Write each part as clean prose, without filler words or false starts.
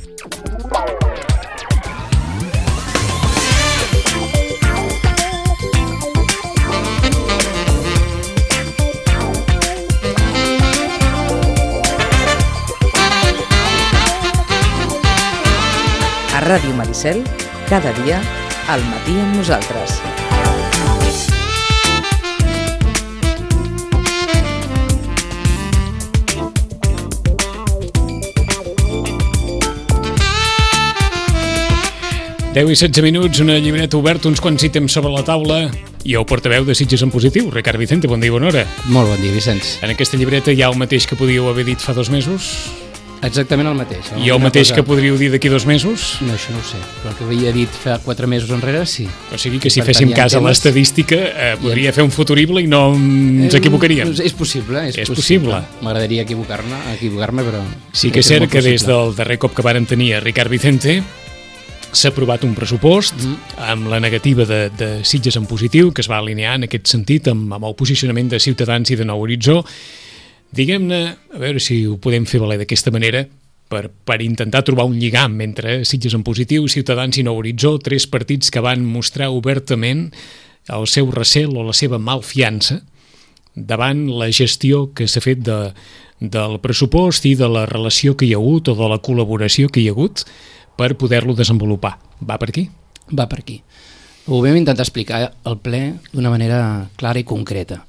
A Ràdio Maricel, cada dia, al matí amb nosaltres. Deu i 16 minuts, una llibreta oberta, uns quants ítems sobre la taula i el portaveu de Sitges en Positiu, Ricard Vicente. Bon dia i bona hora. Molt bon dia, Vicenç. En aquesta llibreta hi ha el mateix que podíeu haver dit fa 2 mesos? Exactament el mateix. I el mateix que podríeu dir d'aquí 2 mesos? No, això no ho sé, però el que havia dit fa 4 mesos enrere, sí. O sigui que si féssim cas a l'estadística podria fer un futurible i no ens equivocaríem. És possible, és possible. M'agradaria equivocar-me, però... Sí que és cert que des del darrer cop que vàrem tenir a Ricard Vicente s'ha aprovat un pressupost amb la negativa de Sitges en Positiu, que es va alinear en aquest sentit amb el posicionament de Ciutadans i de Nou Horitzó. Diguem-ne, a veure si ho podem fer valer d'aquesta manera, per intentar trobar un lligam entre Sitges en Positiu, Ciutadans i Nou Horitzó, 3 partits que van mostrar obertament el seu recel o la seva malfiança davant la gestió que s'ha fet del pressupost i de la relació que hi ha hagut o de la col·laboració que hi ha hagut per poder-lo desenvolupar. Va per aquí? Va per aquí. Ho vam intentar explicar al ple d'una manera clara i concreta.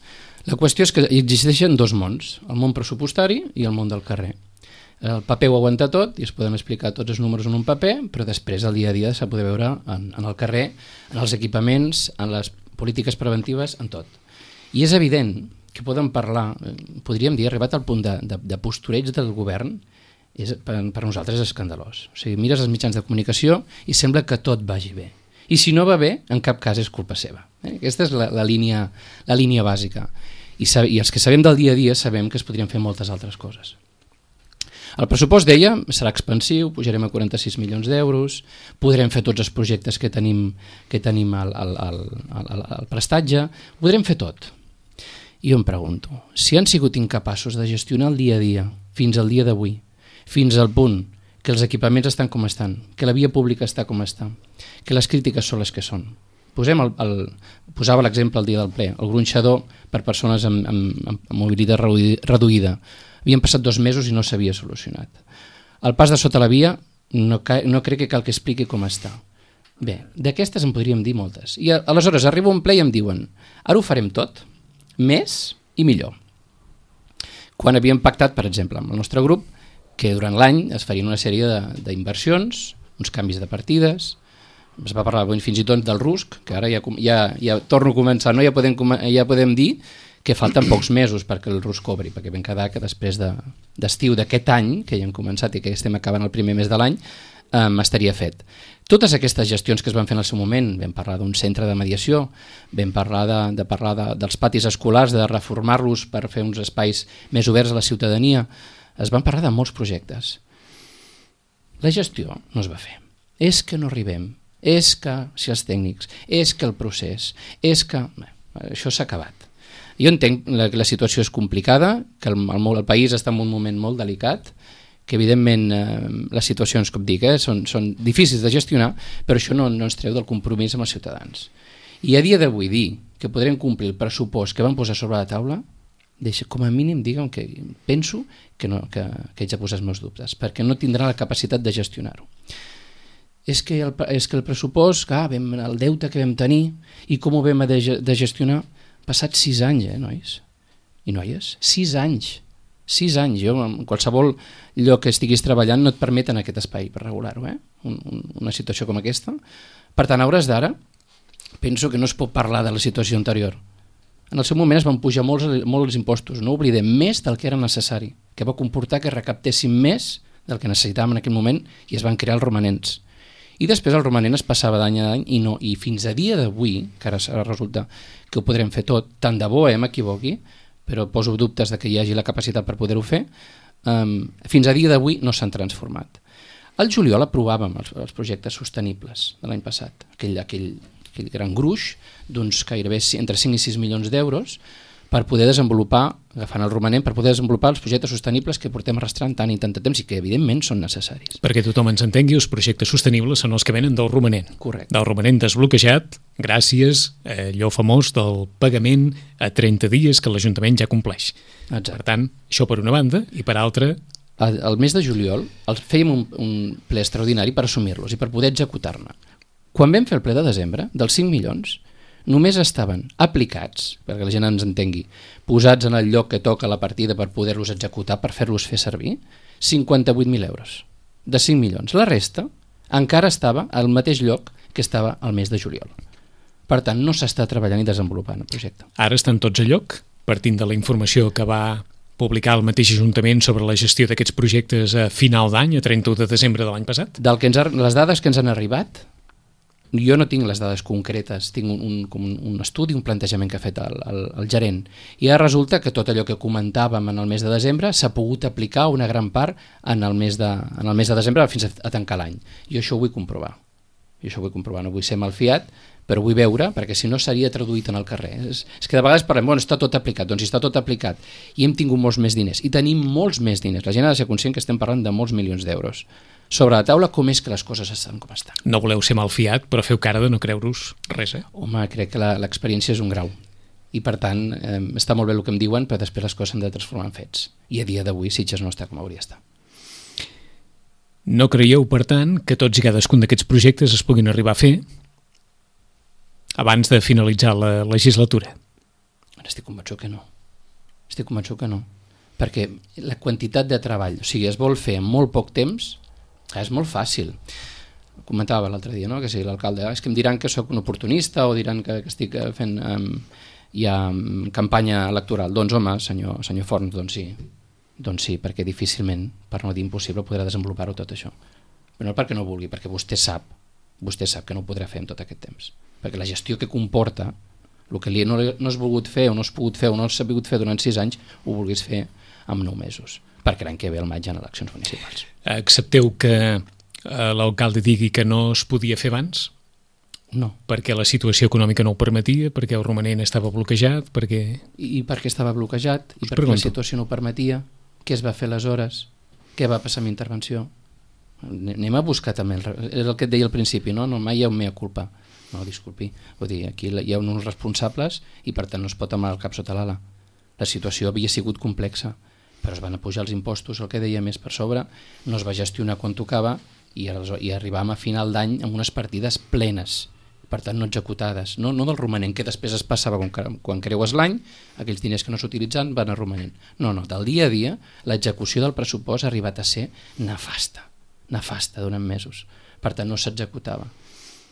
La qüestió és que existeixen 2 mons, el món pressupostari i el món del carrer. El paper ho aguanta tot i es poden explicar tots els números en un paper, però després el dia a dia s'ha de poder veure en el carrer, en els equipaments, en les polítiques preventives, en tot. I és evident que podem parlar, podríem dir, arribat al punt de postureig del govern, per nosaltres és escandalós. O sigui, mires els mitjans de comunicació i sembla que tot vagi bé. I si no va bé, en cap cas és culpa seva. Aquesta és la línia bàsica. I els que sabem del dia a dia sabem que es podrien fer moltes altres coses. El pressupost, deia, serà expansiu, pujarem a 46 milions d'euros, podrem fer tots els projectes que tenim al prestatge, ho podrem fer tot. I jo em pregunto, si han sigut incapaços de gestionar el dia a dia, fins al dia d'avui, fins al punt que els equipaments estan com estan, que la via pública està com està, que les crítiques són les que són. Posava l'exemple el dia del ple, el gronxador per persones amb mobilitat reduïda. Havien passat 2 mesos i no s'havia solucionat. El pas de sota la via no crec que cal que expliqui com està. Bé, d'aquestes en podríem dir moltes. I aleshores arriba un ple i em diuen ara ho farem tot, més i millor. Quan havíem pactat, per exemple, amb el nostre grup, que durant l'any es farien una sèrie d'inversions, uns canvis de partides, es va parlar fins i tot del RUSC, que ara ja torno a començar, no? Ja podem dir que falten pocs mesos perquè el RUSC cobri, perquè vam quedar que després d'estiu d'aquest any, que ja hem començat i que estem acabant el primer mes de l'any, estaria fet. Totes aquestes gestions que es van fer en el seu moment, vam parlar d'un centre de mediació, vam parlar dels patis escolars, de reformar-los per fer uns espais més oberts a la ciutadania, es van parlar de molts projectes. La gestió no es va fer. És que no arribem, és que si els tècnics, és que el procés, és que... Això s'ha acabat. Jo entenc que la situació és complicada, que el país està en un moment molt delicat, que evidentment les situacions, com dic, són difícils de gestionar, però això no ens treu del compromís amb els ciutadans. I a dia d'avui dir que podrem complir el pressupost que vam posar sobre la taula, com a mínim digue'm que penso que haig de posar els meus dubtes, perquè no tindrà la capacitat de gestionar-ho. És que el pressupost, el deute que vam tenir i com ho vam de gestionar, passats 6 anys, nois i noies, 6 anys. 6 anys, jo en qualsevol lloc que estiguis treballant no et permeten aquest espai per regular-ho, una situació com aquesta. Per tant, a hores d'ara, penso que no es pot parlar de la situació anterior. En el seu moment es van pujar molt els impostos, no oblidem, més del que era necessari, que va comportar que recaptéssim més del que necessitàvem en aquell moment i es van crear els romanents. I després el romanent es passava d'any a any i fins a dia d'avui, que ara resulta que ho podrem fer tot, tant de bo m'equivoqui, però poso dubtes de que hi hagi la capacitat per poder-ho fer, fins a dia d'avui no s'han transformat. Al juliol aprovàvem els projectes sostenibles de l'any passat, aquell gran gruix d'uns gairebé entre 5 i 6 milions d'euros per poder desenvolupar, agafant el romanent, per poder desenvolupar els projectes sostenibles que portem arrastrant tant i tant de temps i que evidentment són necessaris. Perquè tothom ens entengui, els projectes sostenibles són els que venen del romanent. Correcte. Del romanent desbloquejat gràcies a allò famós del pagament a 30 dies que l'Ajuntament ja compleix. Exacte. Per tant, això per una banda, i per altra... Al mes de juliol fèiem un ple extraordinari per assumir-los i per poder executar-ne. Quan vam fer el ple de desembre, dels 5 milions, només estaven aplicats, perquè la gent ens entengui, posats en el lloc que toca la partida per poder-los executar, per fer-los fer servir, 58.000 euros de 5 milions. La resta encara estava al mateix lloc que estava al mes de juliol. Per tant, no s'està treballant i desenvolupant el projecte. Ara estan tots a lloc, partint de la informació que va publicar el mateix Ajuntament sobre la gestió d'aquests projectes a final d'any, a 31 de desembre de l'any passat? Les dades que ens han arribat, jo no tinc les dades concretes, tinc un estudi, un plantejament que ha fet el gerent, i ara resulta que tot allò que comentàvem en el mes de desembre s'ha pogut aplicar una gran part en el mes de desembre fins a tancar l'any. Jo això ho vull comprovar. No vull ser malfiat, però vull veure, perquè si no seria traduït en el carrer. És que de vegades parlem, bueno, està tot aplicat, doncs està tot aplicat, i hem tingut molts més diners, i tenim molts més diners. La gent ha de ser conscient que estem parlant de molts milions d'euros. Sobre la taula, com és que les coses estan com estan. No voleu ser malfiat, però feu cara de no creure-us res, eh? Home, crec que l'experiència és un grau. I per tant, està molt bé el que em diuen, però després les coses s'han de transformar en fets. I a dia d'avui Sitges no està com hauria d'estar. No creieu, per tant, que tots i cadascun d'aquests projectes es puguin arribar a fer abans de finalitzar la legislatura? Estic convençut que no. Perquè la quantitat de treball, o sigui, es vol fer en molt poc temps, és molt fàcil. Comentava l'altre dia, no?, que si l'alcalde, és que em diran que sóc un oportunista o diran que estic fent ja campanya electoral. Doncs home, senyor Forns, doncs sí, perquè difícilment, per no dir impossible, podrà desenvolupar-ho tot això. Però no perquè no vulgui, perquè vostè sap que no ho podrà fer en tot aquest temps. Perquè la gestió que comporta, el que no has volgut fer o no has pogut fer o no has sabut fer durant 6 anys, ho vulguis fer en 9 mesos, perquè l'any que ve al maig hi ha eleccions municipals. Accepteu que l'alcalde digui que no es podia fer abans? No. Perquè la situació econòmica no ho permetia, perquè el romanent estava bloquejat, perquè... I perquè estava bloquejat, i perquè la situació no ho permetia. Què es va fer aleshores? Què va passar amb intervenció? Anem a buscar també, és el que et deia al principi, no? Mai hi ha un mea culpa. No, disculpi, vull dir, aquí hi ha uns responsables i per tant no es pot amagar el cap sota l'ala. La situació havia sigut complexa, però es van apujar els impostos, el que deia més per sobre, no es va gestionar quan tocava i arribàvem a final d'any amb unes partides plenes, per tant no executades, no del romanent, que després es passava quan creues l'any, aquells diners que no s'utilitzen van a romanent. No, del dia a dia, l'execució del pressupost ha arribat a ser nefasta durant mesos, per tant no s'executava.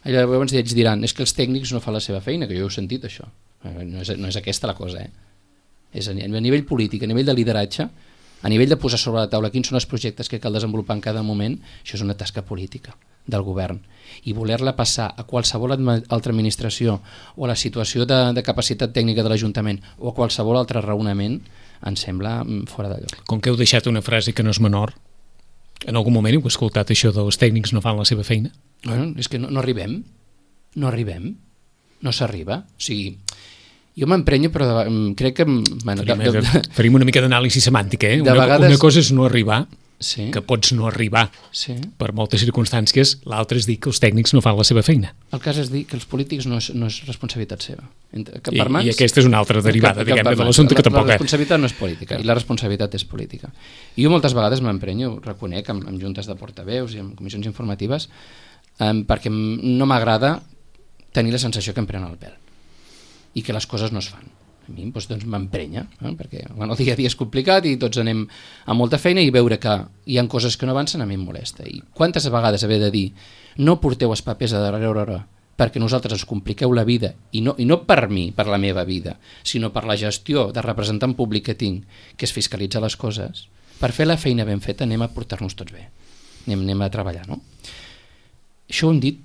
Llavors ells diran, és que els tècnics no fan la seva feina, que jo ho he sentit això, no és aquesta la cosa, és a nivell polític, a nivell de lideratge, a nivell de posar sobre la taula quins són els projectes que cal desenvolupar en cada moment, això és una tasca política del govern, i voler-la passar a qualsevol altra administració o a la situació de capacitat tècnica de l'Ajuntament o a qualsevol altre raonament em sembla fora de lloc. Com que heu deixat una frase que no és menor, en algun moment heu escoltat això dels tècnics no fan la seva feina? Bueno, és que no arribem, no s'arriba, o sigui, jo m'emprenyo però crec que... Farim una mica d'anàlisi semàntica, eh? Una cosa és no arribar, sí, que pots no arribar, sí, per moltes circumstàncies, l'altre és dir que els tècnics no fan la seva feina. El cas és dir que els polítics no és responsabilitat seva. I aquesta és una altra derivada, diguem-ne, de l'assumpte que tampoc... La responsabilitat no és política, i la responsabilitat és política. I jo moltes vegades m'emprenyo, ho reconec, amb juntes de portaveus i amb comissions informatives, perquè no m'agrada tenir la sensació que em prenen el pèl i que les coses no es fan. A mi doncs m'emprenya, perquè el dia a dia és complicat i tots anem amb molta feina, i veure que hi ha coses que no avancen a mi em molesta. I quantes vegades haver de dir no porteu els papers a darrere hora perquè nosaltres ens compliqueu la vida, i no per mi, per la meva vida, sinó per la gestió de representant públic que tinc, que és fiscalitzar les coses. Per fer la feina ben feta anem a portar-nos tots bé, anem a treballar, no? Això ho hem dit,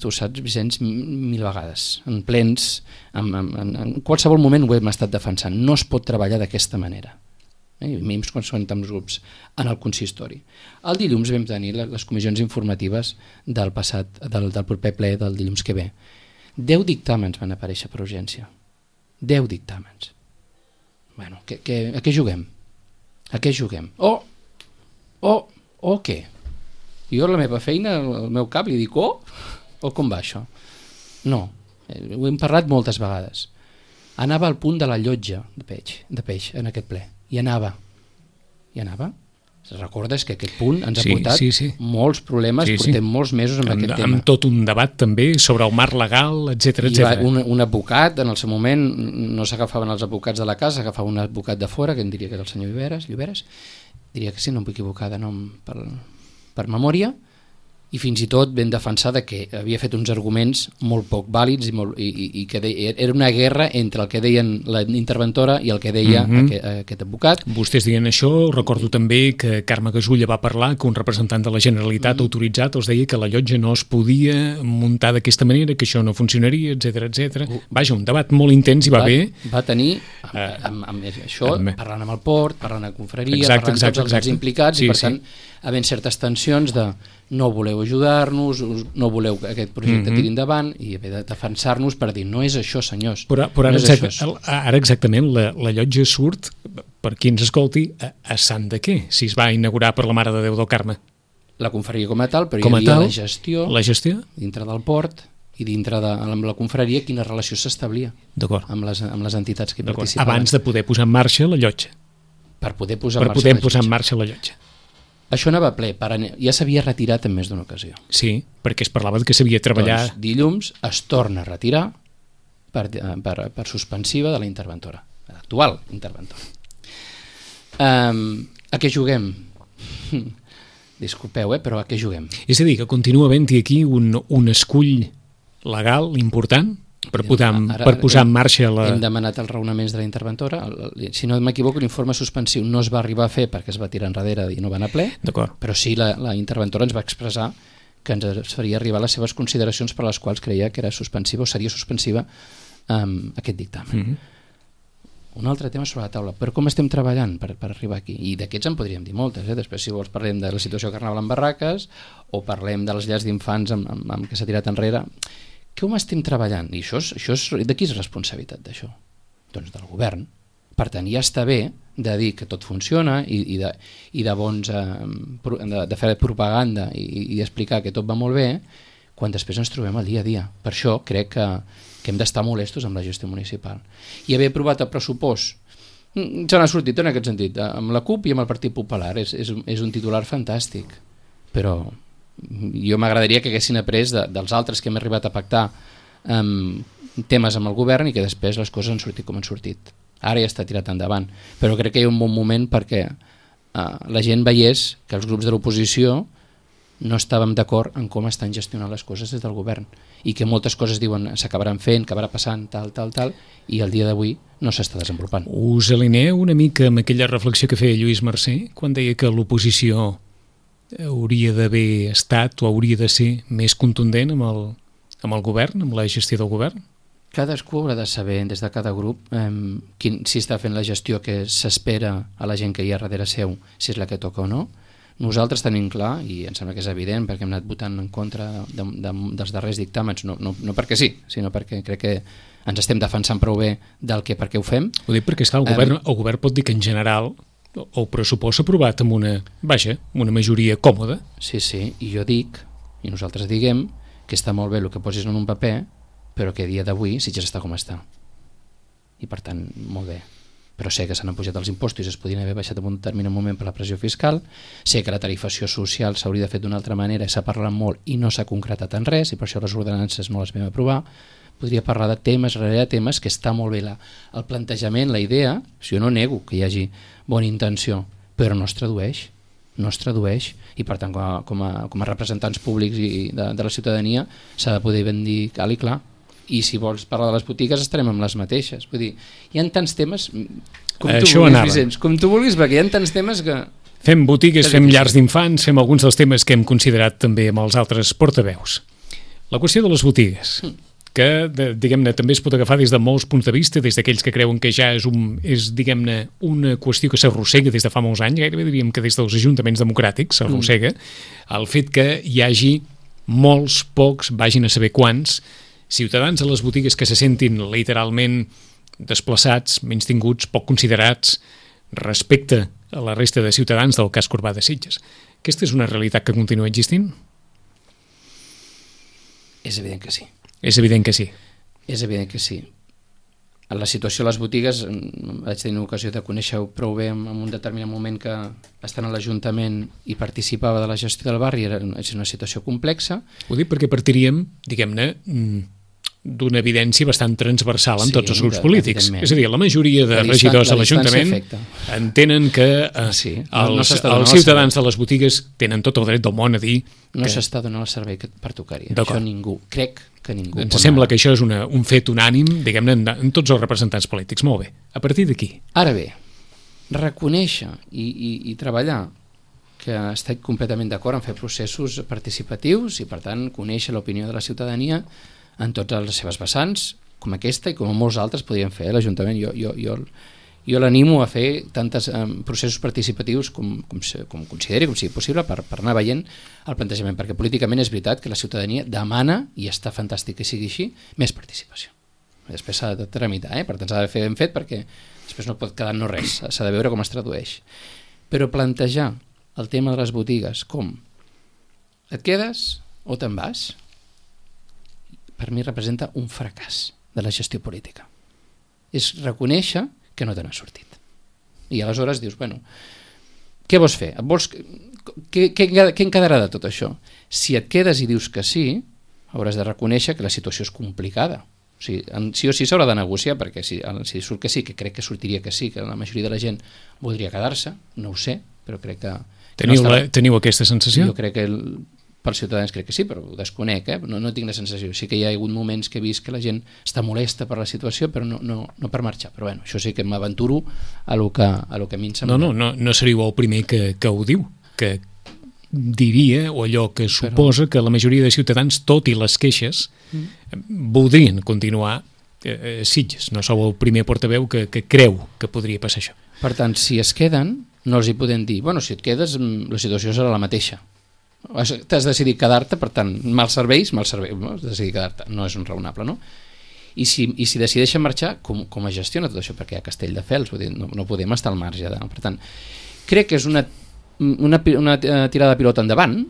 tu saps, Vicenç, 1000 vegades, en plens, en qualsevol moment ho hem estat defensant. No es pot treballar d'aquesta manera, menys quan són tants grups en el consistori. El dilluns vam tenir les comissions informatives del proper ple del dilluns que ve. 10 dictàmens van aparèixer per urgència. 10 dictàmens. Bueno, a què juguem? A què juguem? O què? Jo a la meva feina, al meu cap, li dic o com va això? No, ho hem parlat moltes vegades. Anava al punt de la llotja de peix en aquest ple. I anava. Recordes que aquest punt ens ha portat molts problemes, portem molts mesos amb aquest tema. Amb tot un debat també sobre el marc legal, etc. Un advocat, en el seu moment, no s'agafaven els advocats de la casa, s'agafava un advocat de fora, que em diria que era el senyor Lloberes, diria que sí, no em vull equivocar de nom per memòria, i fins i tot ben defensar que havia fet uns arguments molt poc vàlids i que era una guerra entre el que deien la interventora i el que deia aquest advocat. Vostès dient això, recordo també que Carme Gasulla va parlar que un representant de la Generalitat autoritzat els deia que la llotja no es podia muntar d'aquesta manera, que això no funcionaria, etc. Vaja, un debat molt intens i va bé. Va tenir amb això, parlant amb el port, parlant amb confraria, parlant amb tots els implicats, i per tant, havent certes tensions de no voleu ajudar-nos, no voleu que aquest projecte tiri endavant, i haver de defensar-nos per dir, no és això, senyors. Però ara exactament la llotja surt, per qui ens escolti, a sant de què? Si es va inaugurar per la Mare de Déu del Carme. La confraria com a tal, però hi havia la gestió dintre del port i dintre de la confraria quina relació s'establia amb les entitats que hi participaven. Abans de poder posar en marxa la llotja. Per poder posar en marxa la llotja. Això anava a ple, ja s'havia retirat en més d'una ocasió. Sí, perquè es parlava que s'havia treballat... Doncs dilluns es torna a retirar per suspensiva de la interventora, l'actual interventora. A què juguem? Disculpeu, però a què juguem? És a dir, que continua havent-hi aquí un escull legal important per posar en marxa Hem demanat els raonaments de la interventora. Si no m'equivoco, l'informe suspensiu no es va arribar a fer perquè es va tirar enrere i no va anar ple, però sí la interventora ens va expressar que ens faria arribar les seves consideracions per les quals creia que era suspensiva o seria suspensiva aquest dictamen. Un altre tema sobre la taula, però com estem treballant per arribar aquí? I d'aquests en podríem dir moltes, després si vols parlem de la situació Carnaval en barraques o parlem de les llars d'infants amb què s'ha tirat enrere. Com estem treballant? I això de qui és responsabilitat d'això? Doncs del govern. Per tant, ja està bé de dir que tot funciona i de fer propaganda i explicar que tot va molt bé quan després ens trobem al dia a dia. Per això crec que hem d'estar molestos amb la gestió municipal. I haver aprovat el pressupost se n'ha sortit en aquest sentit, amb la CUP i amb el Partit Popular. És un titular fantàstic, però jo m'agradaria que haguessin après dels altres que hem arribat a pactar temes amb el govern i que després les coses han sortit com han sortit. Ara ja està tirat endavant, però crec que hi ha un bon moment perquè la gent veiés que els grups de l'oposició no estàvem d'acord en com estan gestionant les coses des del govern i que moltes coses diuen s'acabaran fent, acabarà passant, tal, i el dia d'avui no s'està desenvolupant. Us alineeu una mica amb aquella reflexió que feia Lluís Mercè quan deia que l'oposició hauria d'haver estat o hauria de ser més contundent amb el govern, amb la gestió del govern? Cadascú haurà de saber des de cada grup si està fent la gestió que s'espera a la gent que hi ha darrere seu, si és la que toca o no. Nosaltres tenim clar, i em sembla que és evident perquè hem anat votant en contra dels darrers dictàmens, no perquè sí, sinó perquè crec que ens estem defensant prou bé del que per què ho fem. Ho dic perquè el govern pot dir que en general el pressupost s'ha aprovat amb una majoria còmoda. Sí, i jo dic, i nosaltres diguem, que està molt bé el que posis en un paper, però que a dia d'avui Sitges està com està. I per tant, molt bé. Però sé que s'han pujat els impostos i es podien haver baixat en un determinat moment per la pressió fiscal, sé que la tarifació social s'hauria de fer d'una altra manera i s'ha parlat molt i no s'ha concretat en res i per això les ordenances no les vam aprovar. Podria parlar de temes darrere temes que està molt bé el plantejament, la idea, si jo no nego que hi hagi bona intenció, però no es tradueix i per tant com a representants públics de la ciutadania s'ha de poder ben dir cal i clar. I si vols parlar de les botigues estarem amb les mateixes. Vull dir, hi ha tants temes com tu vulguis, perquè hi ha tants temes que... Fem botigues, fem llars d'infants, fem alguns dels temes que hem considerat també amb els altres portaveus. La qüestió de les botigues, que diguem-ne també es pot agafar des de molts punts de vista, des d'aquells que creuen que ja és diguem-ne una qüestió que s'arrossega des de fa molts anys, gairebé diríem que des dels ajuntaments democràtics s'arrossega, el fet que hi hagi molts, pocs, vagin a saber quants, ciutadans a les botigues que se sentin literalment desplaçats, menystinguts, poc considerats respecte a la resta de ciutadans del casc urbà de Sitges. Aquesta és una realitat que continua existint? És evident que sí. És evident que sí. És evident que sí. La situació a les botigues, vaig tenir ocasió de conèixer-ho prou bé en un determinat moment que estant a l'Ajuntament i participava de la gestió del barri, és una situació complexa. Ho dic perquè partiríem, diguem-ne, d'una evidència bastant transversal en tots els grups polítics. És a dir, la majoria de regidors a l'Ajuntament entenen que els ciutadans de les botigues tenen tot el dret del món a dir no s'està donant el servei que pertocaria. Això ningú, crec que ningú. Ens sembla que això és un fet unànim, diguem-ne, en tots els representants polítics. Molt bé. A partir d'aquí. Ara bé, reconèixer i treballar que estic completament d'acord en fer processos participatius i, per tant, conèixer l'opinió de la ciutadania en totes les seves vessants, com aquesta i com molts altres podrien fer l'Ajuntament. Jo l'animo a fer tantes processos participatius com consideri, com sigui possible, per anar veient el plantejament, perquè políticament és veritat que la ciutadania demana, i està fantàstic que sigui així, més participació. Després s'ha de tramitar, per tant s'ha de fer ben fet, perquè després no pot quedar no res, s'ha de veure com es tradueix. Però plantejar el tema de les botigues com et quedes o te'n vas, per mi representa un fracàs de la gestió política. És reconèixer que no te n'has sortit. I aleshores dius, bueno, què vols fer? Què en quedarà de tot això? Si et quedes i dius que sí, hauràs de reconèixer que la situació és complicada. O sigui, sí o sí s'haurà de negociar, perquè si surt que sí, que crec que sortiria que sí, que la majoria de la gent voldria quedar-se, no ho sé, però crec que... Teniu aquesta sensació? Jo crec que pels ciutadans crec que sí, però ho desconec, no tinc la sensació. Sí que hi ha hagut moments que he vist que la gent està molesta per la situació, però no per marxar. Però bueno, això sí que m'aventuro a lo que a mi em sembla. No seríeu el primer que ho diu, que diria, o allò que suposa que la majoria de ciutadans, tot i les queixes, voldrien continuar a Sitges. No sou el primer portaveu que creu que podria passar això. Per tant, si es queden, no els hi podem dir, bueno, si et quedes, la situació serà la mateixa. T'has decidit quedar-te, per tant, mals serveis, no? Has decidit quedar-te, no és un raonable, no? I si decideixen marxar, com es gestiona tot això? Perquè hi ha Castelldefels, no podem estar al marge. Per tant, crec que és una tirada de pilota endavant,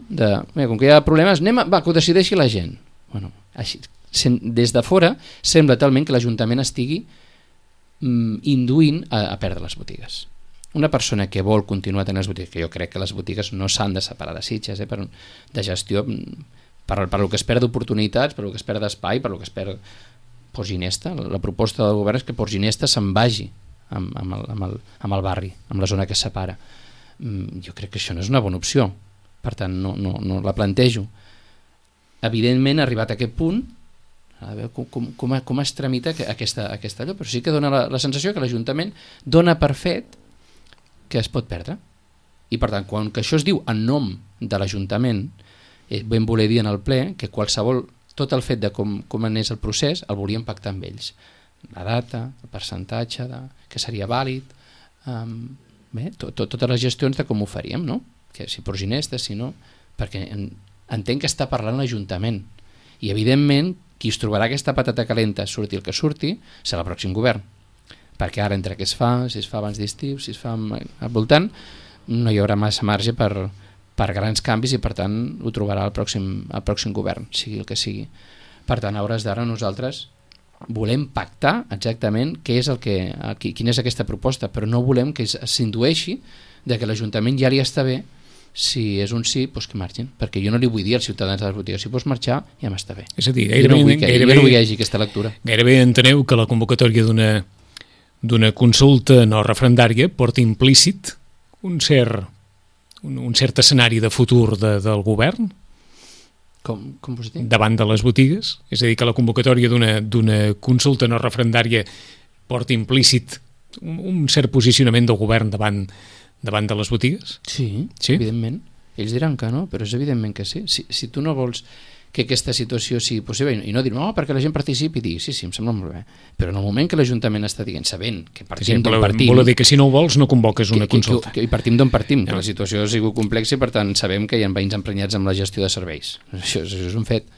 com que hi ha problemes, que ho decideixi la gent. Bueno, així, des de fora sembla talment que l'Ajuntament estigui induint a perdre les botigues. Una persona que vol continuar tenint les botigues, que jo crec que les botigues no s'han de separar de Sitges, de gestió, per lo que es perd d'oportunitats, per lo que es perd d'espai, per lo que es perd Port Ginesta. La proposta del govern és que Port Ginesta se'n vagi amb el barri, amb la zona que es separa. Jo crec que això no és una bona opció, per tant no la plantejo. Evidentment, arribat a aquest punt, a veure com es tramita aquesta allò, però sí que dona la sensació que l'Ajuntament dona per fet que es pot perdre. I per tant, quan que això es diu en nom de l'Ajuntament, vam voler dir en el ple que tot el fet de com anés el procés el volíem pactar amb ells. La data, el percentatge que seria vàlid, totes les gestions de com ho faríem, no? Que si Port Ginesta, si no, perquè entenc que està parlant l'Ajuntament i evidentment qui es trobarà aquesta patata calenta, surti el que surti, serà el pròxim govern, perquè ara entre què es fa, si es fa abans d'estiu, si es fa al voltant, no hi haurà massa marge per grans canvis i per tant ho trobarà el pròxim govern, sigui el que sigui. Per tant, a hores d'ara nosaltres volem pactar exactament quina és aquesta proposta, però no volem que s'indueixi de que l'Ajuntament ja li està bé, si és un sí, doncs que marxin, perquè jo no li vull dir als ciutadans de les botigues, si vols marxar ja m'està bé. És a dir, jo no vull que hi hagi aquesta lectura. Gairebé enteneu que la convocatòria d'una consulta no referendària porta implícit un cert escenari de futur del govern com vols dir? Davant de les botigues, és a dir, que la convocatòria d'una consulta no referendària porta implícit un cert posicionament del govern davant de les botigues? Sí, evidentment. Ells diran que no, però és evidentment que sí. Si tu no vols que aquesta situació sigui possible i no dir, perquè la gent participi i digui, sí, em sembla molt bé, però en el moment que l'Ajuntament està dient, sabent que partim d'on partim... Vol dir que si no ho vols no convoques una consulta. I partim d'on partim, que la situació ha sigut complexa i per tant sabem que hi ha veïns emprenyats amb la gestió de serveis. Això és un fet.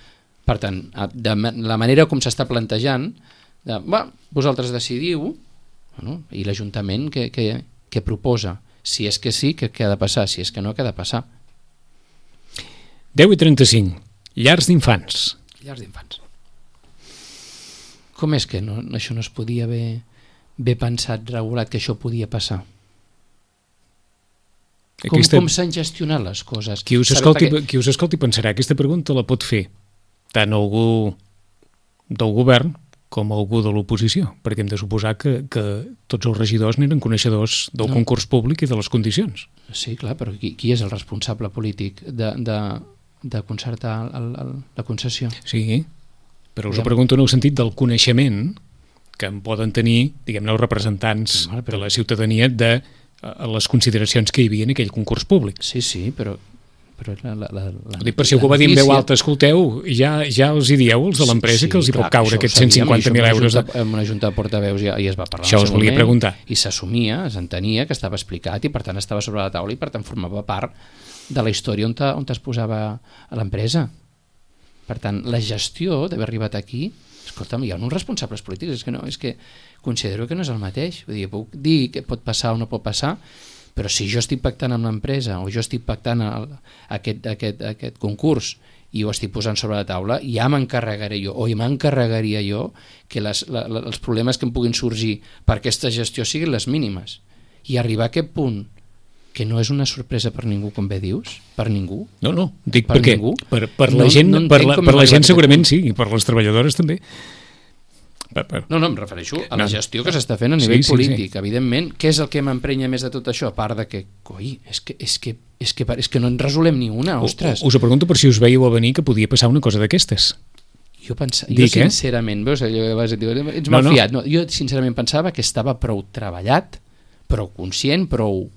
Per tant, de la manera com s'està plantejant, vosaltres decidiu, bueno, i l'Ajuntament que proposa, si és que sí, què ha de passar, si és que no, què ha de passar. 10:35, llars d'infants. Llars d'infants. Com és que això no es podia haver pensat, regulat, que això podia passar? Com s'han gestionat les coses? Qui us escolti pensarà, aquesta pregunta la pot fer tant algú del govern com algú de l'oposició, perquè hem de suposar que tots els regidors n'eren coneixedors del concurs públic i de les condicions. Sí, clar, però qui és el responsable polític de concertar la concessió? Sí, però us ho pregunto en el sentit del coneixement que en poden tenir, diguem-ne, els representants de la ciutadania de les consideracions que hi havia en aquell concurs públic. Sí, però dic, per si algú va dir en veu alta, escolteu, ja els hi dieu els de l'empresa que els hi pot caure aquests 150.000 euros. En una junta de portaveus ja es va parlar. Això us volia preguntar. I s'assumia, s'entenia que estava explicat i per tant estava sobre la taula i per tant formava part de la història on es posava a l'empresa. Per tant, la gestió d'haver arribat aquí, escolta'm, hi ha uns responsables polítics, és que considero que no és el mateix. Vull dir, puc dir que pot passar o no pot passar, però si jo estic pactant amb l'empresa o jo estic pactant aquest concurs i ho estic posant sobre la taula, ja m'encarregaré jo, o m'encarregaria jo que els problemes que em puguin sorgir per aquesta gestió siguin les mínimes. I arribar a aquest punt, que no és una sorpresa per ningú, com bé dius, per ningú. No, dic perquè per la gent segurament sí, i per les treballadores també. No, em refereixo a la gestió que s'està fent a nivell polític, evidentment. Què és el que m'emprenya més de tot això? A part de que, és que no en resolem ni una, ostres. Us ho pregunto per si us veieu a venir que podia passar una cosa d'aquestes. Jo sincerament, veus, ets malfiat. Jo sincerament pensava que estava prou treballat, prou conscient, prou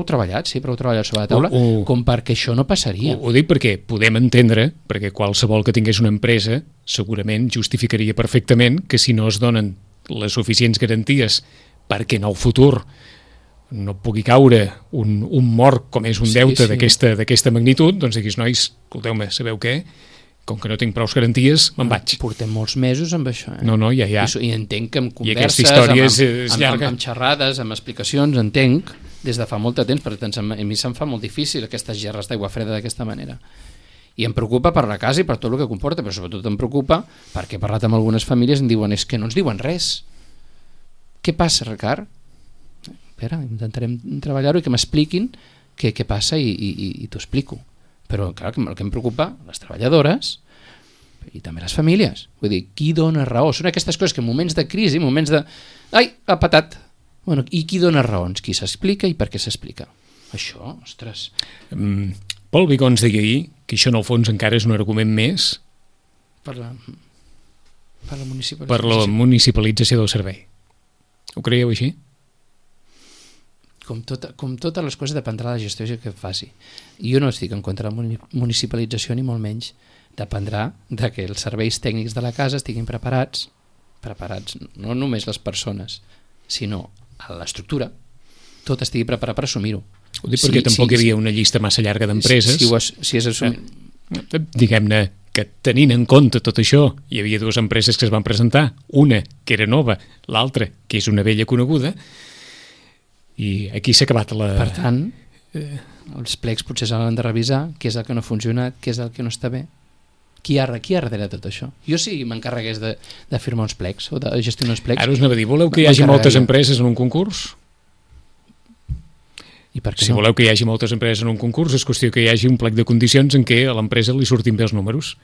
treballat, sí, prou treballat sobre la taula, com perquè això no passaria. Ho dic perquè podem entendre, perquè qualsevol que tingués una empresa segurament justificaria perfectament que si no es donen les suficients garanties perquè en el futur no pugui caure un mort com és un deute d'aquesta magnitud, doncs diguis, nois, escolteu-me, sabeu què? Com que no tinc prou garanties, me'n vaig. Portem molts mesos amb això. No, ja. I entenc que amb converses, amb xerrades, amb explicacions, entenc, des de fa molt de temps, perquè a mi se'm fa molt difícil aquestes gerres d'aigua freda d'aquesta manera. I em preocupa per la casa i per tot el que comporta, però sobretot em preocupa perquè he parlat amb algunes famílies i em diuen, és que no ens diuen res. Què passa, Ricard? Espera, intentarem treballar-ho i que m'expliquin què passa i t'ho explico. Però clar, el que em preocupa, les treballadores i també les famílies. Vull dir, qui dona raó? Són aquestes coses que en moments de crisi, en moments de... Ai, ha patat! Bueno, i qui dona raons? Qui s'explica i per què s'explica? Això, ostres... Pol Vigons deia ahir que això en el fons encara és un argument més per la municipalització del servei. Ho creieu així? Com totes les coses dependrà de la gestió que faci. Jo no estic en contra de la municipalització ni molt menys. Dependrà de que els serveis tècnics de la casa estiguin preparats, no només les persones, sinó a l'estructura, tot estigui preparat per assumir-ho. Ho dic perquè tampoc hi havia una llista massa llarga d'empreses. Si és assumir... Diguem-ne que tenint en compte tot això, hi havia dues empreses que es van presentar, una que era nova, l'altra que és una vella coneguda, i aquí s'ha acabat la... Per tant, els plecs potser s'han de revisar què és el que no ha funcionat, què és el que no està bé. Qui hi ha darrere de tot això? Jo si m'encarregués de firmar uns plecs o de gestionar uns plecs... Ara us anava a dir, voleu que hi hagi moltes empreses en un concurs? I per què si voleu que hi hagi moltes empreses en un concurs, és qüestió que hi hagi un plec de condicions en què a l'empresa li surtin bé els números.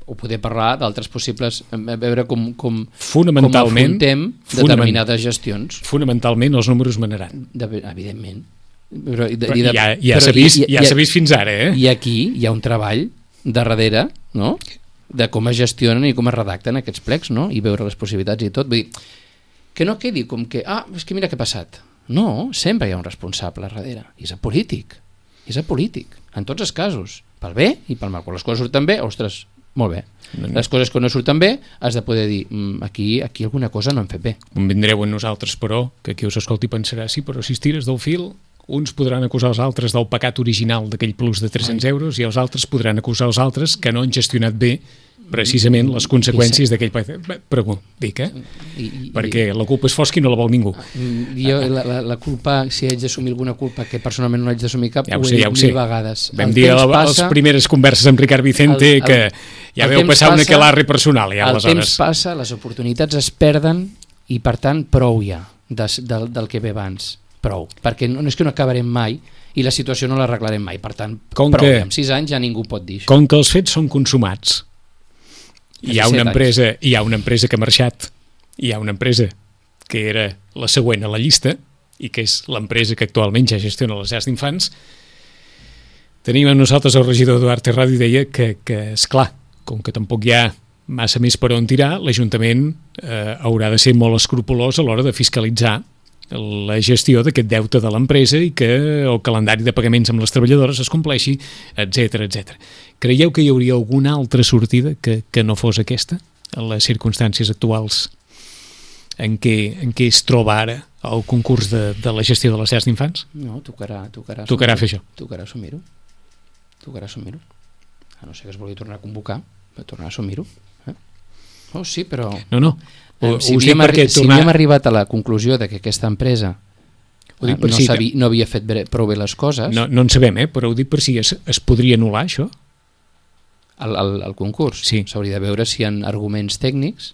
O poder parlar d'altres possibles, a veure com afrontem determinades gestions. Fonamentalment els números manaran. Evidentment. Ja s'ha vist fins ara, eh? I aquí hi ha un treball darrere, no?, de com es gestionen i com es redacten aquests plecs, no?, i veure les possibilitats i tot. Vull dir, que no quedi com que, és que mira què ha passat. No, sempre hi ha un responsable darrere, i és el polític. En tots els casos, pel bé i pel mal. Quan les coses surten bé, ostres, molt bé. Les coses que no surten bé has de poder dir, aquí alguna cosa no hem fet bé. Convindreu en nosaltres, però, que qui us escolti pensarà, sí, però si estires del fil, uns podran acusar els altres del pecat original d'aquell plus de 300 euros i els altres podran acusar els altres que no han gestionat bé precisament les conseqüències d'aquell... Però dic, perquè la culpa és fosca i no la vol ningú. Jo, la culpa, si haig d'assumir alguna culpa, que personalment no haig d'assumir cap, ja ho sé. mil vegades. Vam dir a les primeres converses amb Ricard Vicente que ja veu passar un aquelarre personal. El temps passa, les oportunitats es perden i, per tant, prou ja del que ve abans. Prou. Perquè no és que no acabarem mai i la situació no l'arreglarem mai. Per tant, prou. En 6 anys ja ningú pot dir això. Com que els fets són consumats, hi ha una empresa que ha marxat, hi ha una empresa que era la següent a la llista i que és l'empresa que actualment ja gestiona les llars d'infants. Tenim amb nosaltres el regidor Eduard Terrado i deia que esclar, com que tampoc hi ha massa més per on tirar, l'Ajuntament haurà de ser molt escrupolós a l'hora de fiscalitzar la gestió d'aquest deute de l'empresa i que el calendari de pagaments amb les treballadores es compleixi, etc. Creieu que hi hauria alguna altra sortida que no fos aquesta, en les circumstàncies actuals en què es troba ara el concurs de la gestió de les llars d'infants? No, tocarà fer això. Tocarà assumir-ho. A no ser que es vulgui tornar a convocar, va tornar a assumir-ho. Oh, sí, però... No. Si havíem arribat a la conclusió de que aquesta empresa no havia fet prou bé les coses... No en sabem, però ho dic per si es podria anul·lar, això? El concurs? Sí. S'hauria de veure si hi ha arguments tècnics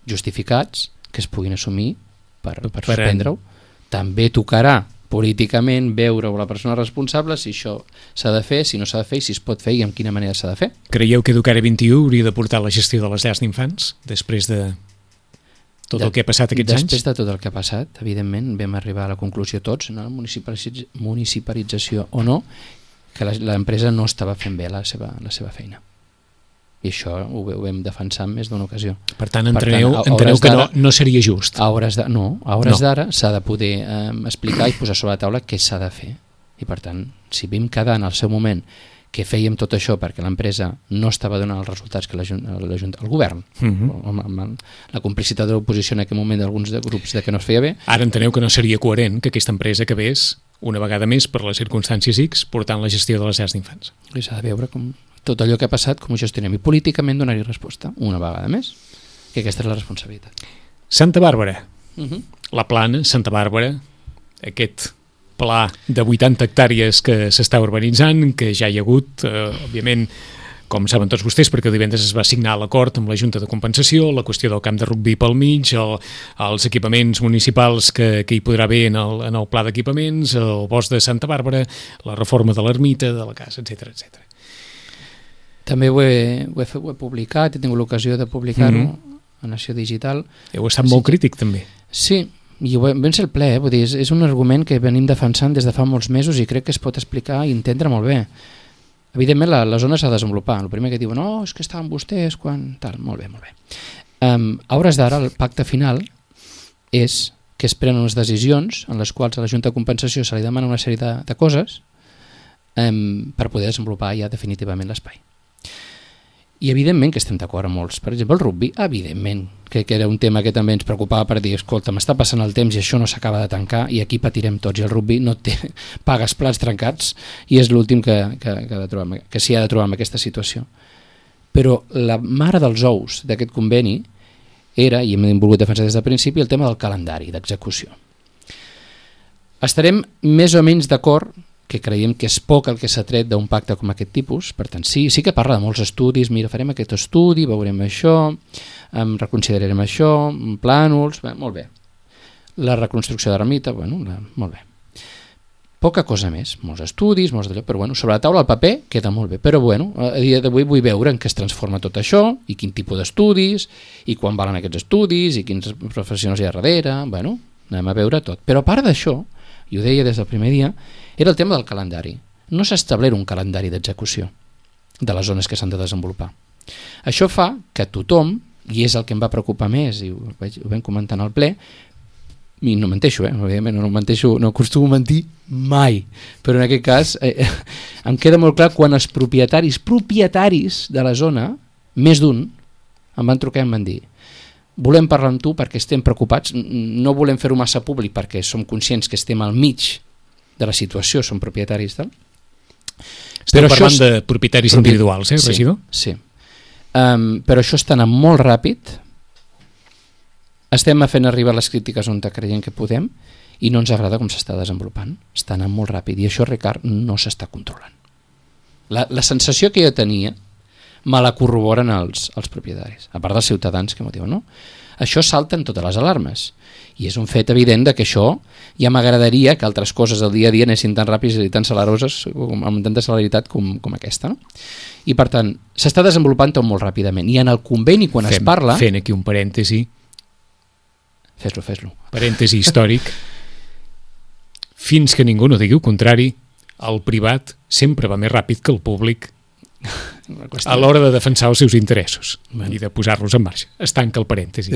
justificats que es puguin assumir per suspendre-ho. També tocarà políticament veure la persona responsable si això s'ha de fer, si no s'ha de fer, si es pot fer i en quina manera s'ha de fer. Creieu que Educare 21 hauria de portar la gestió de les llars d'infants després de tot el que ha passat aquests anys? Després de tot el que ha passat, evidentment, vam arribar a la conclusió tots, no? Municipalització o no, que l'empresa no estava fent bé la seva feina. I això ho vam defensar en més d'una ocasió. Per tant, enteneu que no seria just. A hores d'ara s'ha de poder explicar i posar sobre la taula què s'ha de fer. I per tant, si vam quedar en el seu moment que fèiem tot això perquè l'empresa no estava donant els resultats que el govern, amb la complicitat de l'oposició en aquell moment d'alguns grups de que no es feia bé. Ara enteneu que no seria coherent que aquesta empresa acabés una vegada més per les circumstàncies X portant la gestió de les llars d'infants. I s'ha de veure com tot allò que ha passat, com ho gestionem i políticament donar-hi resposta una vegada més, que aquesta és la responsabilitat. Santa Bàrbara, la Plana, Santa Bàrbara, aquest pla de 80 hectàrees que s'està urbanitzant, que ja hi ha hagut, òbviament, com saben tots vostès, perquè divendres es va signar l'acord amb la Junta de Compensació, la qüestió del camp de rugbi pel mig, els equipaments municipals que hi podrà haver en el pla d'equipaments, el bosc de Santa Bàrbara, la reforma de l'ermita, de la casa, etc. També ho he publicat, he tingut l'ocasió de publicar-ho a Nació Digital. Heu estat molt crític, també. Sí, i vam ser el ple, vull dir, és un argument que venim defensant des de fa molts mesos i crec que es pot explicar i entendre molt bé. Evidentment la zona s'ha de desenvolupar. El primer que diuen, no, és que estaven vostès quan... tal, molt bé. A hores d'ara, el pacte final és que es prenen unes decisions en les quals a la Junta de Compensació se li demana una sèrie de coses per poder desenvolupar ja definitivament l'espai. I evidentment que estem d'acord amb molts. Per exemple, el rugby, evidentment, que era un tema que també ens preocupava per dir, escolta, m'està passant el temps i això no s'acaba de tancar i aquí patirem tots. I el rugby no té pagues plats trencats i és l'últim que s'hi ha de trobar en aquesta situació. Però la mare dels ous d'aquest conveni era, i hem volgut defensar des del principi, el tema del calendari d'execució. Estarem més o menys d'acord que creiem que és poc el que s'ha tret d'un pacte com aquest tipus, per tant sí que parla de molts estudis, mira, farem aquest estudi, veurem això, reconsiderarem això, plànols, molt bé. La reconstrucció de l'ermita, molt bé. Poca cosa més, molts estudis, molts d'allò, però sobre la taula el paper queda molt bé, però a dia d'avui vull veure en què es transforma tot això i quin tipus d'estudis i quan valen aquests estudis i quins professionals hi ha darrere, anem a veure tot. Però a part d'això, i ho deia des del primer dia, era el tema del calendari. No s'ha establert un calendari d'execució de les zones que s'han de desenvolupar. Això fa que tothom, i és el que em va preocupar més, i ho vam comentar al ple, i no menteixo, evidentment no menteixo, no acostumo a mentir mai, però en aquest cas em queda molt clar quan els propietaris de la zona, més d'un, em van trucar i em van dir volem parlar amb tu perquè estem preocupats, no volem fer-ho massa públic perquè som conscients que estem al mig de la situació, som propietaris tal. Estem parlant de propietaris individuals, regidor? Sí. però això està anant molt ràpid, estem fent arribar les crítiques on creiem que podem i no ens agrada com s'està desenvolupant, està anant molt ràpid i això, Ricard, no s'està controlant. La sensació que jo tenia me la corroboren els propietaris, a part dels ciutadans que m'ho diuen, no? Això salten totes les alarmes i és un fet evident de que això ja m'agradaria que altres coses del dia a dia anessin tan ràpides i tan celeroses amb tanta celeritat com aquesta, no? I per tant s'està desenvolupant tot molt ràpidament i en el conveni quan es parla... Fent aquí un parèntesi, fes-lo parèntesi històric, fins que ningú no digui el contrari, el privat sempre va més ràpid que el públic a l'hora de defensar els seus interessos i de posar-los en marxa. Es tanca el parèntesi.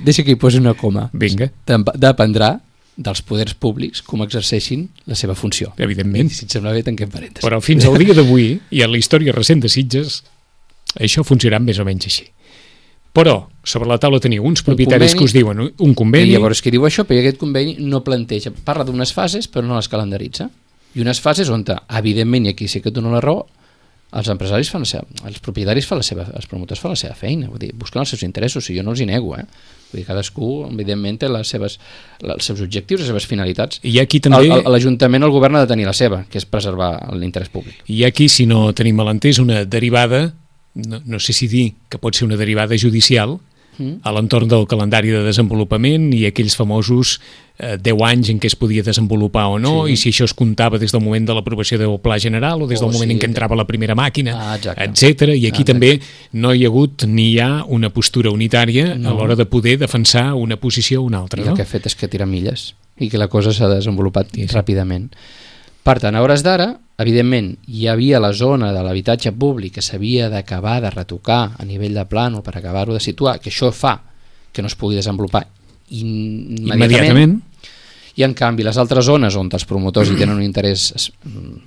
Deixa que hi posi una coma. Vinga. Dependrà dels poders públics com exerceixin la seva funció. Evidentment. Si et sembla bé, tanquem parèntesi. Però fins al dia d'avui, i en la història recent de Sitges, això funcionarà més o menys així. Però sobre la taula teniu uns propietaris que us diuen un conveni... I llavors que diu això, però aquest conveni no planteja, parla d'unes fases però no les calendaritza. I unes fases on, evidentment, i aquí sí que dono la raó, els empresaris fan la seva, els propietaris fan la seva, els promotors fan la seva feina, vull dir, busquen els seus interessos, i jo no els hi nego, Vull dir, cadascú, evidentment, té els seus objectius, les seves finalitats. I aquí també... L'Ajuntament o el govern ha de tenir la seva, que és preservar l'interès públic. I aquí, si no tenim malentès, una derivada, no sé si dir que pot ser una derivada judicial, a l'entorn del calendari de desenvolupament i aquells famosos 10 anys en què es podia desenvolupar o no, i si això es comptava des del moment de l'aprovació del Pla General o des del moment en què entrava la primera màquina, etc. I aquí també no hi ha hagut ni hi ha una postura unitària a l'hora de poder defensar una posició o una altra. I el que ha fet és que tira milles i que la cosa s'ha desenvolupat ràpidament. Per tant, a hores d'ara, evidentment, hi havia la zona de l'habitatge públic que s'havia d'acabar de retocar a nivell de plànol per acabar-ho de situar, que això fa que no es pugui desenvolupar immediatament. I en canvi les altres zones on els promotors hi tenen un interès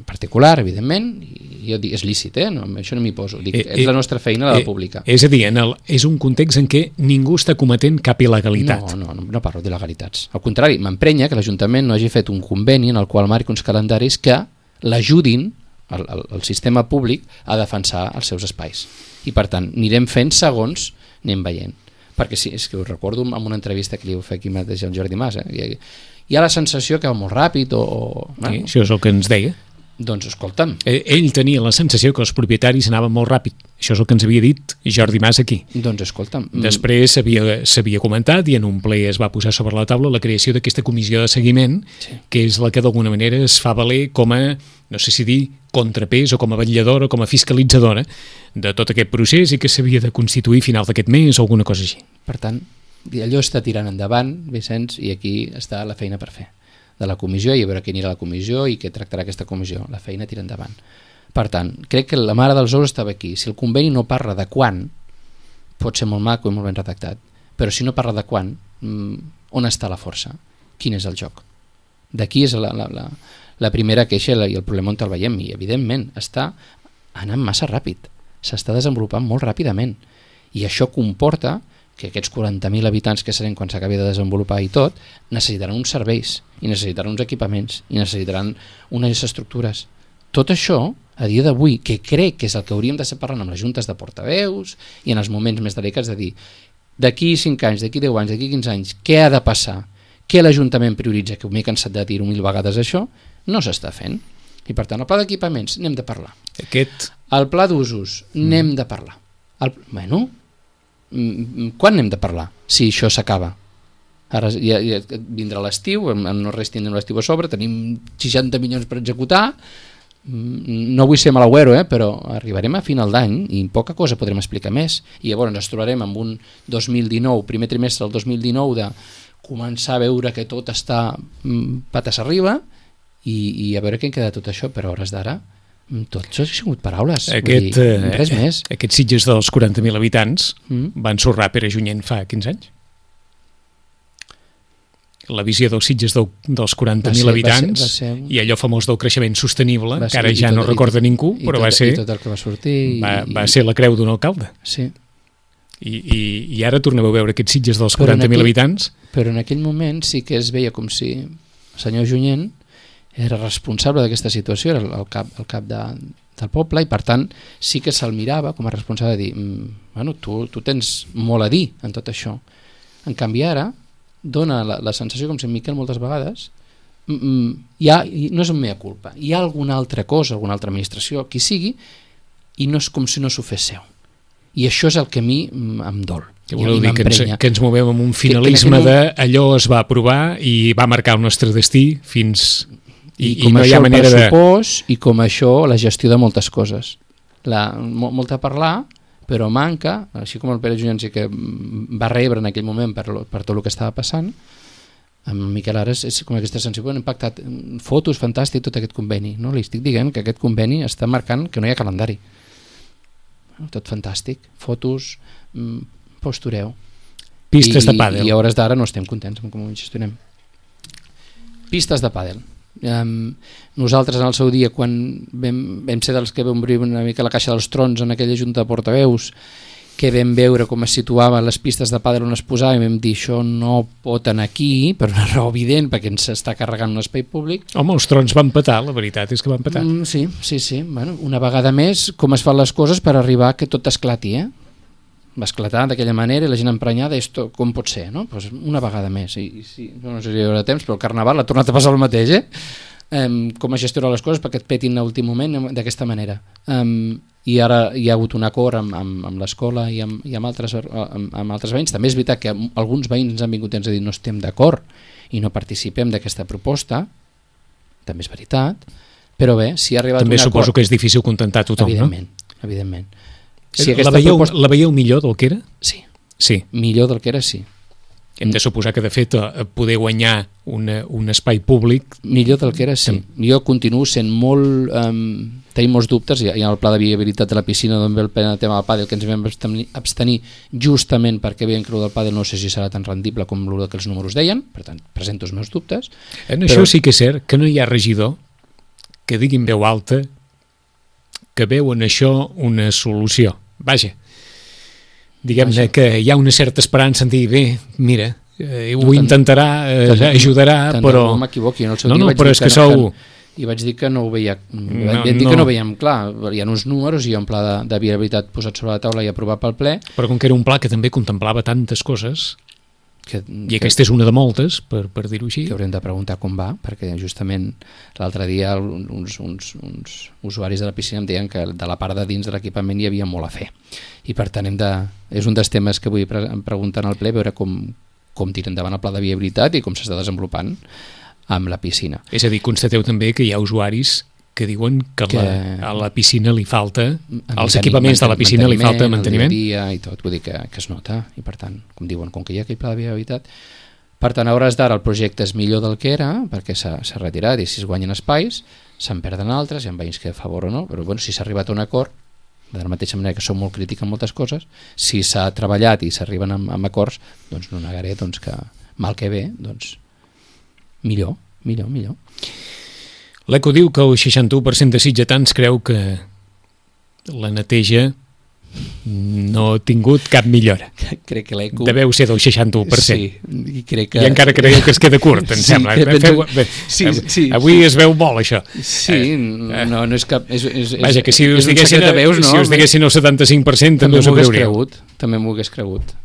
particular, evidentment, i jo dic, és lícit, no, això no m'hi poso, dic, és la nostra feina, la pública. És a dir, és un context en què ningú està cometent cap il·legalitat. No parlo d'il·legalitats. Al contrari, m'emprenya que l'Ajuntament no hagi fet un conveni en el qual marqui uns calendaris que l'ajudin, el sistema públic, a defensar els seus espais. I per tant, anirem fent segons anem veient. Perquè sí, és que us recordo en una entrevista que li heu fet aquí mateix al Jordi Mas, hi ha la sensació que va molt ràpid sí, això és el que ens deia. Doncs escolta'm, ell tenia la sensació que els propietaris anaven molt ràpid, això és el que ens havia dit Jordi Mas aquí. Doncs escolta'm, després s'havia comentat i en un ple es va posar sobre la taula la creació d'aquesta comissió de seguiment, que és la que d'alguna manera es fa valer com a, no sé si dir, contrapès o com a vetlladora o com a fiscalitzadora de tot aquest procés i que s'havia de constituir a final d'aquest mes o alguna cosa així. Per tant, allò està tirant endavant, Vicenç, i aquí està la feina per fer de la comissió i a veure què anirà a la comissió i què tractarà aquesta comissió. La feina tira endavant. Per tant, crec que la mare dels ous estava aquí. Si el conveni no parla de quan, pot ser molt maco i molt ben redactat, però si no parla de quan, on està la força? Quin és el joc? D'aquí és la primera queixa i el problema on el veiem, i evidentment està anant massa ràpid, s'està desenvolupant molt ràpidament, i això comporta que aquests 40.000 habitants que serem quan s'acabi de desenvolupar i tot, necessitaran uns serveis, i necessitaran uns equipaments, i necessitaran unes estructures. Tot això, a dia d'avui, que crec que és el que hauríem de ser parlant amb les juntes de portaveus i en els moments més delicats de dir d'aquí 5 anys, d'aquí 10 anys, d'aquí 15 anys, què ha de passar? Què l'Ajuntament prioritza? Que m'he cansat de dir-ho 1000 vegades això, no s'està fent. I per tant, el pla d'equipaments, n'hem de parlar. El pla d'usos, n'hem de parlar. Quan n'hem de parlar? Si això s'acaba. Ara ja vindrà l'estiu, no res tindrem l'estiu a sobre, tenim 60 milions per executar, no vull ser malauero, però arribarem a final d'any i poca cosa podrem explicar més. I llavors ens trobarem amb un 2019, primer trimestre del 2019, de començar a veure que tot està patas arriba i a veure què en queda tot això, però a hores d'ara tot això ha sigut paraules, res més. Aquests Sitges dels 40.000 habitants van sorrar Pere Junyent fa 15 anys. La visió dels Sitges dels 40.000 habitants i allò famós del creixement sostenible, que ara ja no recorda ningú, però va ser tot el que va sortir va ser la creu d'un alcalde. Sí. I ara torneu a veure aquests Sitges dels 40.000 habitants. Però en aquell moment sí que es veia com si el senyor Junyent era responsable d'aquesta situació, era el cap del poble, i per tant sí que se'l mirava com a responsable de dir bueno, tu tens molt a dir en tot això. En canvi ara dona la sensació, com si en Miquel moltes vegades, no és un mea culpa, hi ha alguna altra cosa, alguna altra administració, qui sigui, i no és com si no s'ho fes seu. I això és el que a mi em dol. Que voleu dir que ens movem amb un finalisme d'allò es va aprovar i va marcar el nostre destí fins... I com no hi ha manera de... I com això la gestió de moltes coses. Molt a parlar, però manca, així com el Pere Junyansi que va rebre en aquell moment per tot el que estava passant, amb Miquel Ares és com aquesta sensació, hem pactat fotos, fantàstic, tot aquest conveni. No? Li estic dient que aquest conveni està marcant que no hi ha calendari. Tot fantàstic, fotos, postureu. Pistes de pàdel. I a hores d'ara no estem contents amb com ho gestionem. Pistes de pàdel. Nosaltres en el seu dia, quan vam ser dels que vam obrir una mica la caixa dels trons en aquella junta de portaveus, que vam veure com es situaven les pistes de pàdel on es posava, i vam dir això no pot anar aquí per una raó evident, perquè ens està carregant un espai públic. Home, els trons van petar, la veritat és que van petar. Sí. Bueno, una vegada més, com es fan les coses per arribar que tot esclati, va esclatar d'aquella manera i la gent emprenyada, esto com pot ser, no? Pues una vegada més, i no sé si hi haurà temps, però el Carnaval ha tornat a passar el mateix, com a gestionar les coses perquè et petin a últim moment d'aquesta manera. I ara hi ha hagut un acord amb l'escola i amb altres veïns. També és veritat que alguns veïns ens han vingut i ens han dit no estem d'acord i no participem d'aquesta proposta, també és veritat, però bé, si ha arribat també un acord... També suposo que és difícil contentar tothom, evidentment. Si la veieu millor del que era? Sí. Millor del que era, sí. Hem de suposar que, de fet, poder guanyar un espai públic... Millor del que era, sí. Jo continuo sent molt... tenim molts dubtes, hi ha el pla de viabilitat de la piscina d'on ve el tema del pàdel, que ens vam abstenir justament perquè veiem que el del pàdel no sé si serà tan rendible com el que els números deien, per tant, presento els meus dubtes. Això sí que és cert, que no hi ha regidor que digui en veu alta que veu en això una solució. Vaja, diguem-ne que hi ha una certa esperança en dir, bé, mira, ho intentarà, ajudarà, però... No m'equivoqui, en el seu dia però és que sou... I vaig dir que no ho veia, que no ho veiem clar, hi ha uns números i hi ha un pla de viabilitat posat sobre la taula i aprovat pel ple. Però com que era un pla que també contemplava tantes coses, i aquesta és una de moltes, per dir-ho així. Que haurem de preguntar com va, perquè justament l'altre dia uns usuaris de la piscina em deien que de la part de dins de l'equipament hi havia molt a fer. I per tant és un dels temes que vull preguntar al ple, veure com tira endavant el pla de viabilitat i com s'està desenvolupant amb la piscina. És a dir, constateu també que hi ha usuaris que diuen que a la piscina li falta, als equipaments de la piscina li falta manteniment. I tot, vull dir que es nota, i per tant, com diuen, com que hi ha aquell pla de viabilitat, per tant, a hores d'ara el projecte és millor del que era, perquè s'ha retirat i si es guanyen espais, se'n perden altres, hi ha veïns que a favor o no, però bueno, si s'ha arribat a un acord, de la mateixa manera que som molt crítics en moltes coses, si s'ha treballat i s'arriben amb acords, doncs no negaré que mal que bé, doncs millor. L'ECO diu que el 61% de sitgetans creu que la neteja no ha tingut cap millora. Crec que l'ECO... Deveu ser del 61%. Sí, crec que... I encara creieu que es queda curt, em sembla. Sí. Avui es veu molt, això. Sí, no és cap... Vaja, que si us diguessin el 75% també us ho creuríeu. També m'ho hagués cregut.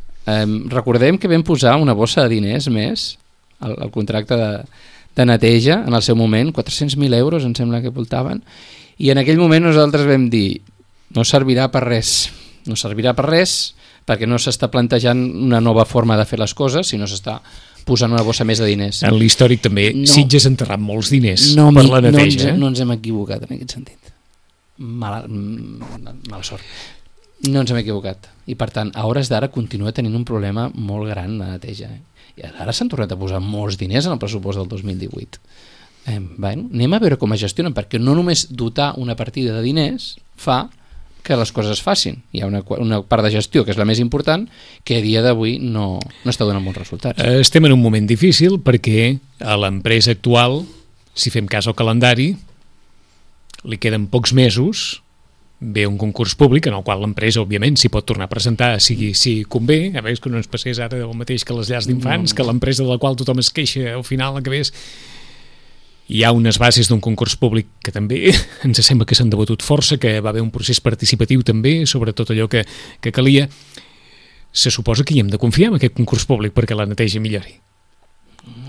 Recordem que vam posar una bossa de diners més el contracte de neteja en el seu moment, 400.000 euros em sembla que voltaven, i en aquell moment nosaltres vam dir no servirà per res perquè no s'està plantejant una nova forma de fer les coses, sinó s'està posant una bossa més de diners. En l'històric també Sitges ha enterrat molts diners per la neteja. No ens hem equivocat en aquest sentit. Mala sort. No ens hem equivocat. I per tant, a hores d'ara continua tenint un problema molt gran de neteja. I ara s'han tornat a posar molts diners en el pressupost del 2018. Anem a veure com es gestionen, perquè no només dotar una partida de diners fa que les coses es facin. Hi ha una part de gestió, que és la més important, que a dia d'avui no està donant bons resultats. Estem en un moment difícil perquè a l'empresa actual, si fem cas al calendari, li queden pocs mesos, ve un concurs públic en el qual l'empresa, òbviament, s'hi pot tornar a presentar si convé, a veure que no ens passés ara el mateix que les llars d'infants, que l'empresa de la qual tothom es queixa al final acabés. hi ha unes bases d'un concurs públic que també ens sembla que s'han debatut força, que va haver un procés participatiu també sobre tot allò que calia. Se suposa que hi hem de confiar en aquest concurs públic perquè la neteja millori.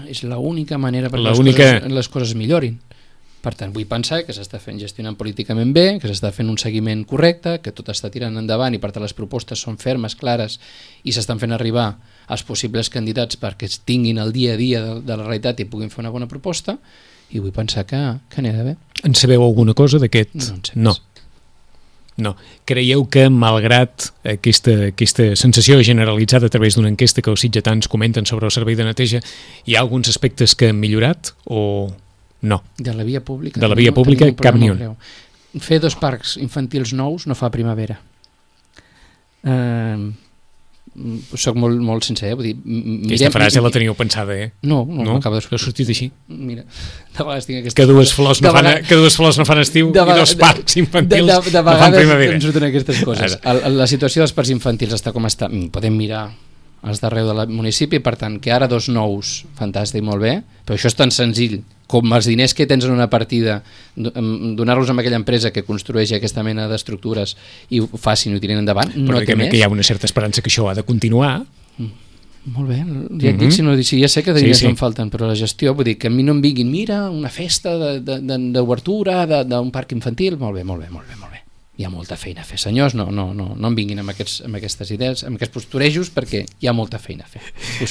És l'única manera perquè les coses millorin. Per tant, vull pensar que s'està gestionant políticament bé, que s'està fent un seguiment correcte, que tot està tirant endavant i per tant les propostes són fermes, clares i s'estan fent arribar als possibles candidats perquè es tinguin el dia a dia de la realitat i puguin fer una bona proposta, i vull pensar que anirà bé. En sabeu alguna cosa d'aquest? No en sé res. No. Creieu que, malgrat aquesta sensació generalitzada a través d'una enquesta que els sitgetans comenten sobre el servei de neteja, hi ha alguns aspectes que han millorat o no? De la via pública? De la via pública, cap ni un. Fer 2 parcs infantils nous no fa primavera. Soc molt sincer, vull dir... Aquesta frase la teniu pensada, No, m'acaba de sortir. Ha sortit així? Mira, de vegades tinc aquesta... Que dues flors no fan estiu i 2 parcs infantils no fan primavera. Em surten aquestes coses. La situació dels parcs infantils està com està. Podem mirar els d'arreu del municipi, per tant, que ara 2 nous, fantàstic, molt bé, però això és tan senzill com els diners que tens en una partida, donar-los a aquella empresa que construeix aquesta mena d'estructures i ho facin i ho tirin endavant, no té més. Que hi ha una certa esperança que això ha de continuar. Molt bé, ja et dic, si ja sé que de diners em falten, però la gestió, vull dir, que a mi no em vinguin, mira, una festa d'obertura d'un parc infantil, molt bé. Hi ha molta feina a fer, senyors, no em vinguin amb aquestes idees, amb aquests posturejos, perquè hi ha molta feina a fer.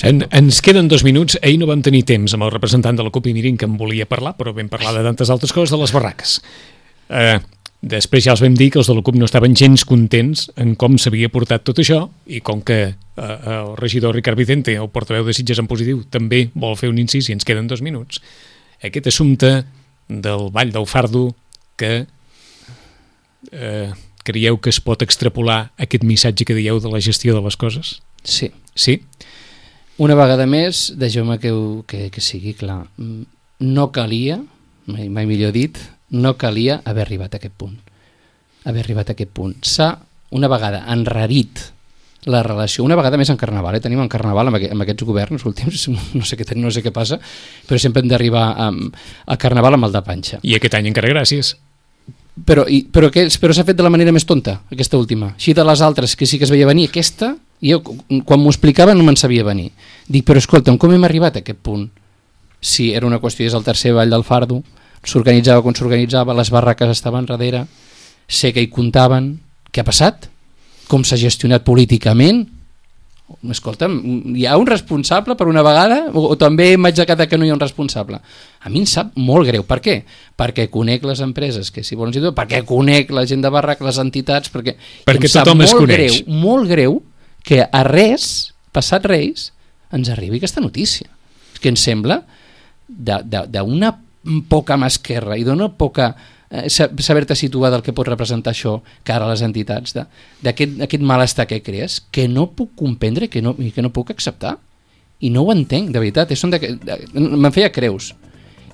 Ens queden 2 minuts. Ahir no vam tenir temps amb el representant de la CUP i Mirin, que em volia parlar, però vam parlar de tantes altres coses, de les barraques. Després ja els vam dir que els de la CUP no estaven gens contents en com s'havia portat tot això, i com que el regidor Ricard Vicente, el portaveu de Sitges en positiu, també vol fer un incís i ens queden 2 minuts, aquest assumpte del Vall del Fardo, que creieu que es pot extrapolar aquest missatge que dieu de la gestió de les coses? Sí. Sí? Una vegada més, deixeu-me que sigui clar. No calia, mai millor dit, no calia haver arribat a aquest punt. S'ha, una vegada, enrarit la relació, una vegada més en Carnaval, tenim en Carnaval amb aquests governs últims, no sé què passa, però sempre hem d'arribar a Carnaval amb el de panxa. I aquest any encara gràcies. Però s'ha fet de la manera més tonta, aquesta última. Així de les altres, que sí que es veia venir, aquesta, jo quan m'ho explicava no me'n sabia venir. Dic, però escolta'm, com hem arribat a aquest punt? Si era una qüestió, és el tercer Vall del Fardo, s'organitzava com s'organitzava, les barraques estaven darrere, sé que hi comptaven, què ha passat? Com s'ha gestionat políticament? Escolta'm, hi ha un responsable per una vegada o també m'haig de quedar que no hi ha un responsable? A mi em sap molt greu. Per què? Perquè conec les empreses que s'hi volen situar, perquè conec la gent de barrac, les entitats, perquè tothom es coneix. Molt greu que a res, passat Reis, ens arribi aquesta notícia. És que em sembla d'una poca mà esquerra i d'una poca saber-te situar del que pot representar això cara a les entitats, d'aquest malestar que crees, que no puc comprendre i que no puc acceptar, i no ho entenc, de veritat. Me'n feia creus,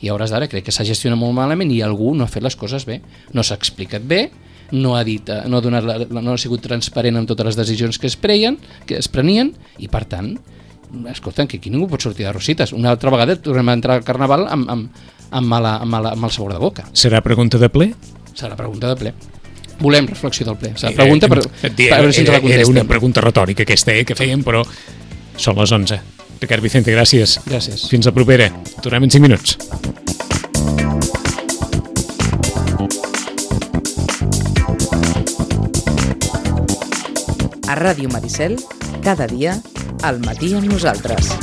i a hores d'ara crec que s'ha gestionat molt malament i algú no ha fet les coses bé, no s'ha explicat bé, no ha sigut transparent amb totes les decisions que es prenien, i per tant, escolta'm, que aquí ningú pot sortir de rosites. Una altra vegada tornem a entrar al Carnaval amb mal sabor de boca. Serà pregunta de ple? Serà pregunta de ple. Volem reflexió del ple. Serà pregunta per veure si ens la contestem. Era una pregunta retòrica aquesta que fèiem, però són les 11. Ricard Vicente, gràcies. Gràcies. Fins la propera. Tornem en 5 minuts. A Ràdio Maricel, cada dia, al matí amb nosaltres.